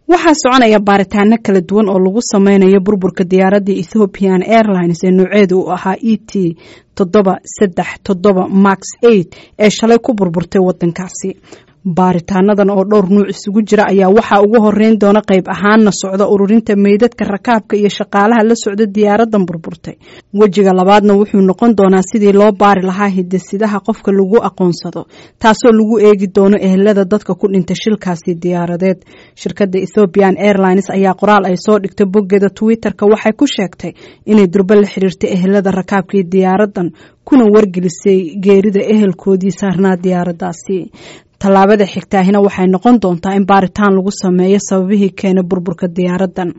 Waxaa soconaya baaritaano kala duwan oo lagu sameynayo burburka diyaaradda Ethiopian Airlines ee nooceedu uu ahaa ET 737 Max 8 ee shalay ku burburtay wadankaasi. Baaritaanadan oo dhowr nuuc isugu jira ayaa waxaa ugu horeyn doona qayb ahaanna socda ururinta meydadka rakaabka iyo shaqaalaha la socda diyaaradan burburtay. Wejiga labaadna wuxuu noqon doonaa sidii loo baari lahaa hidasidaha qofka lagu aqoonsado, taasoo lagu eegi doono ehelada dadka ku dhintay shilkaasi diyaaradeed. Shirkadda Ethiopian Airlines ayaa qoraal ay soo dhigtay boggeeda Twitter-ka waxay ku sheegtay inay durbo la xiriirtay ehelada rakaabkii diyaaradan, kuna wargelisay geerida ehelkoodii saarnaa diyaaraddaasi. Tallaabada xigtaahina waxay noqon doontaa in baaritaan lagu sameeyo sababihii keenay burburka diyaaraddan.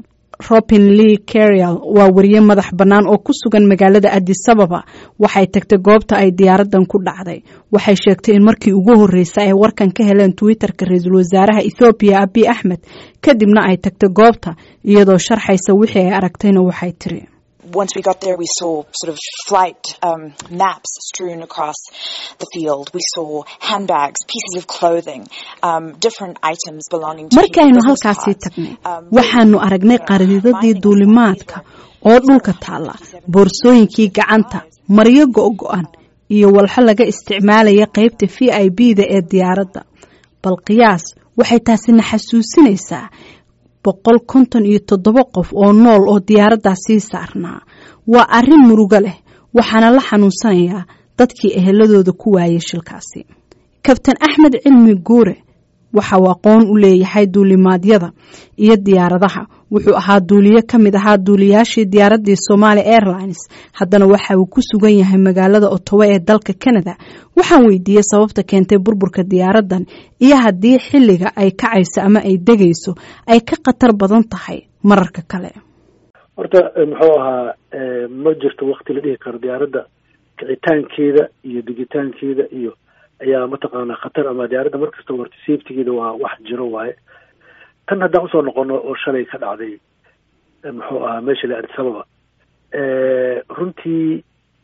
Robin Lee Carial waa wariye madax bannaan oo ku sugan magaalada Addis Ababa. Waxay tagtay goobta ay diyaaraddan ku dhacday. Waxay sheegtay in markii ugu horreysay ay warkan ka heleen Twitter-ka ra-iisul wasaaraha Ethoobiya Abiy Axmed, kadibna ay tagtay goobta. Iyadoo sharxaysa wixii ay aragtayna waxay tiri: Once we got there, we saw sort of flight maps strewn across the field. We saw handbags, pieces of clothing, different items belonging to Markaaynu halkaasii tagnay, waxaanu aragnay qariidadii duulimaadka oo dhulka taalla, boorsooyinkii gacanta, maryo go-go-an iyo walxo laga isticmaalaya qaybta VIP da ee diyaaradda. Bal qiyaas, waxay taasina xasuusinaysaa 157 qof oo nool oo diyaaraddaasii saarnaa. Waa arrin murugo leh, waxaana la xanuunsanayaa dadkii eheladooda ku waayay shilkaasi. Kabtan Axmed Cilmi Guure waxa uu aqoon u leeyahay duulimaadyada iyo diyaaradaha. Wuxuu ahaa duuliye ka mid ahaa duuliyaashii diyaaraddii Somaali Airlines, haddana waxa uu ku sugan yahay magaalada Ottawa ee dalka Canada. Waxaan weydiiyey sababta keentay burburka diyaaraddan iyo haddii xilliga ay kacayso ama ay degayso ay ka khatar badan tahay mararka kale. Horta, muxuu ahaa, ma jirto wakti la dhihi karo diyaaradda kicitaankeeda iyo degitaankeeda iyo ayaa mataqaanaa khatar ama diyaaradda markasta horta safetygeeda waa wax jiro waaye. Tan haddaan usoo noqono oo shalay ka dhacday, muxuu ahaa, meesha la Addis Ababa, runtii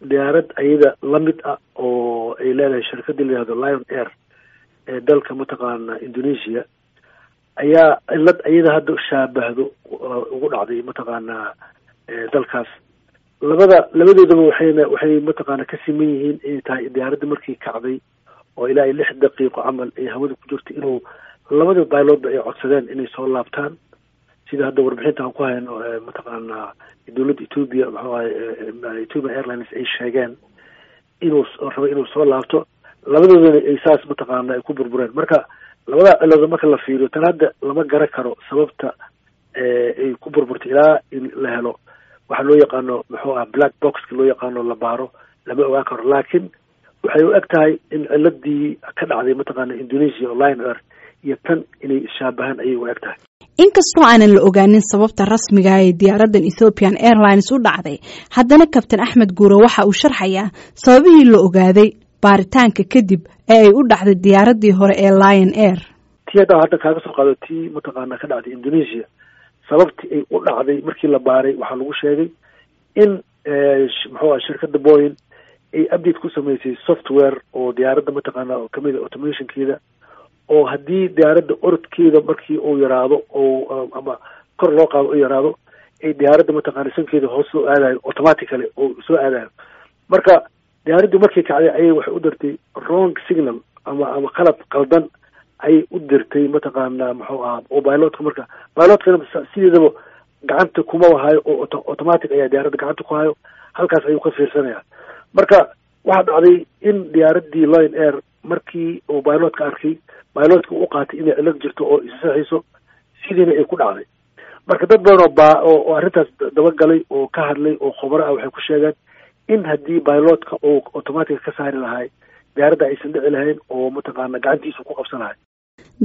diyaarad ayada lamid ah oo ay leedahay shirkadii la yihahdo Lion Air ee dalka mataqaana Indonesia ayaa cilad ayada hadda shaabahdo ugu dhacday mataqaanaa dalkaas. Labadoodaba waxay mataqaana ka siman yihiin inay tahay diyaaradda markii kacday oo ilaa iyo 6 daqiiqo camal ay hawada ku jirto inuu labada pilotba ay codsadeen inay soo laabtaan. Sida hadda warbixinta aan ku hayno, mataqaanaa dowladda Ethiopia, muxuu ahay, Ethiopian Airlines ay sheegeen inuu rabo inuu soo laabto, labadoodana ay saas mataqaana ay ku burbureen. Marka labada ciladood marka la fiiriyo, tan hadda lama garan karo sababta ay ku burburtay ilaa in la helo waxa loo yaqaano, muxuu ah, black boxka loo yaqaano la baaro, lama ogaan karo. Laakiin waxay u eg tahay in ciladii ka dhacday mataqaana Indonesia oo Lion Air iyo tan inay ishaabahaan ayay u eg tahay. Inkastoo aanan la ogaanin sababta rasmiga ee diyaaraddan Ethiopian Airlines u dhacday, haddana Kabtan Axmed Guure waxa uu sharxayaa sababihii la ogaaday baaritaanka kadib ee ay u dhacday diyaaraddii hore ee Lion Air. Tii hadda kaaga soo qaado, tii mataqaana ka dhacday Indonesia, sababtii ay u dhacday markii la baaray waxaa lagu sheegay in, muxuu ah, shirkadda Boeing ay update ku samaysay software oo diyaaradda mataqaana oo kamid a automationkeeda, oo haddii diyaaradda orodkeeda markii uu yaraado oo ama kor loo qaado u yaraado, ay diyaaradda mataqaana sankeeda hoos soo aadayo, automatically oo soo aadayo. Marka diyaaraddii markii kacday ayay waxay u dirtay wrong signal ama qalab qaldan ayay u dirtay mataqaana, muxuu ahaa, oo pilotka. Marka pilotkana sideedaba gacanta kuma hayo oo automatic ayaa diyaaradda gacanta ku hayo, halkaas ayuu ka fiirsanaya. Marka waxaa dhacday in diyaaraddii Lion Air markii uu pilotka arkay, pilotka u qaatay inay cilad jirto oo isasaxayso, sidiina ay ku dhacday. Marka dad badan oo baa oo arrintaas dabagalay oo ka hadlay oo khubaro ah waxay ku sheegeen in haddii pilotka uu automatic ka saari lahay, diyaaradda aysan dhici lahayn oo mataqaana gacantiisa ku qabsan lahay.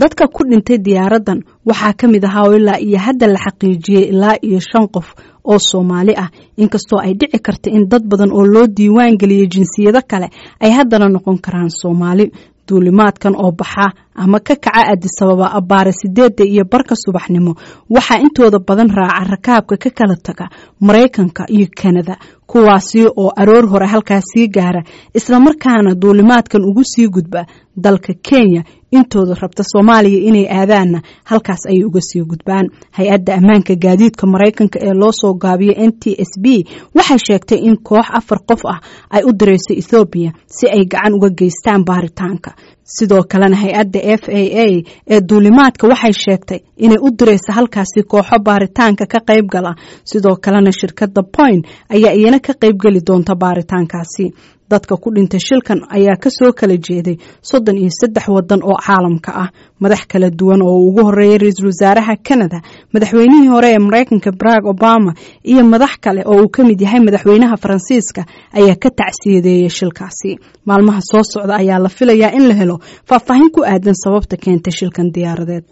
Dadka ku dhintay diyaaraddan waxaa ka mid ahaa oo ilaa iyo hadda la xaqiijiyey ilaa iyo shan qof oo Soomaali ah, inkastoo ay dhici karta in dad badan oo loo diiwaan geliyey jinsiyado kale ay haddana noqon karaan Soomaali. Duulimaadkan oo baxa ama ka kaca Adisababa abbaare 8:30 subaxnimo waxaa intooda badan raaca rakaabka ka kala taga Maraykanka iyo Kanada, kuwaasi oo aroor hore halkaas sii gaara islamarkaana duulimaadkan ugu sii gudba dalka Kenya. Intooda rabta Soomaaliya inay aadaanna halkaas ayay uga sii gudbaan. Hay-adda ammaanka gaadiidka Maraykanka ee loo soo gaabiyo NTSB waxay sheegtay in koox 4 qof ah ay u direyso Ethoobiya si ay gacan uga geystaan baaritaanka. Sidoo kalena hay-adda FAA ee duulimaadka waxay sheegtay inay u direyso halkaasi kooxo baaritaanka ka qayb gala. Sidoo kalena shirkadda Point ayaa iyana ka qaybgeli doonta baaritaankaasi. Dadka ku dhintay shilkan ayaa kasoo kala jeeday 33 wadan oo caalamka ah. Madax kala duwan oo ugu horeeyay ra-iisul wasaaraha Canada, madaxweynihii hore ee Maraykanka Barack Obama iyo madax kale oo uu ka mid yahay madaxweynaha Faransiiska ayaa ka tacsiyadeeyay shilkaasi. Maalmaha soo socda ayaa la filayaa in la helo faahfaahin ku aadan sababta keentay shilkan diyaaradeed.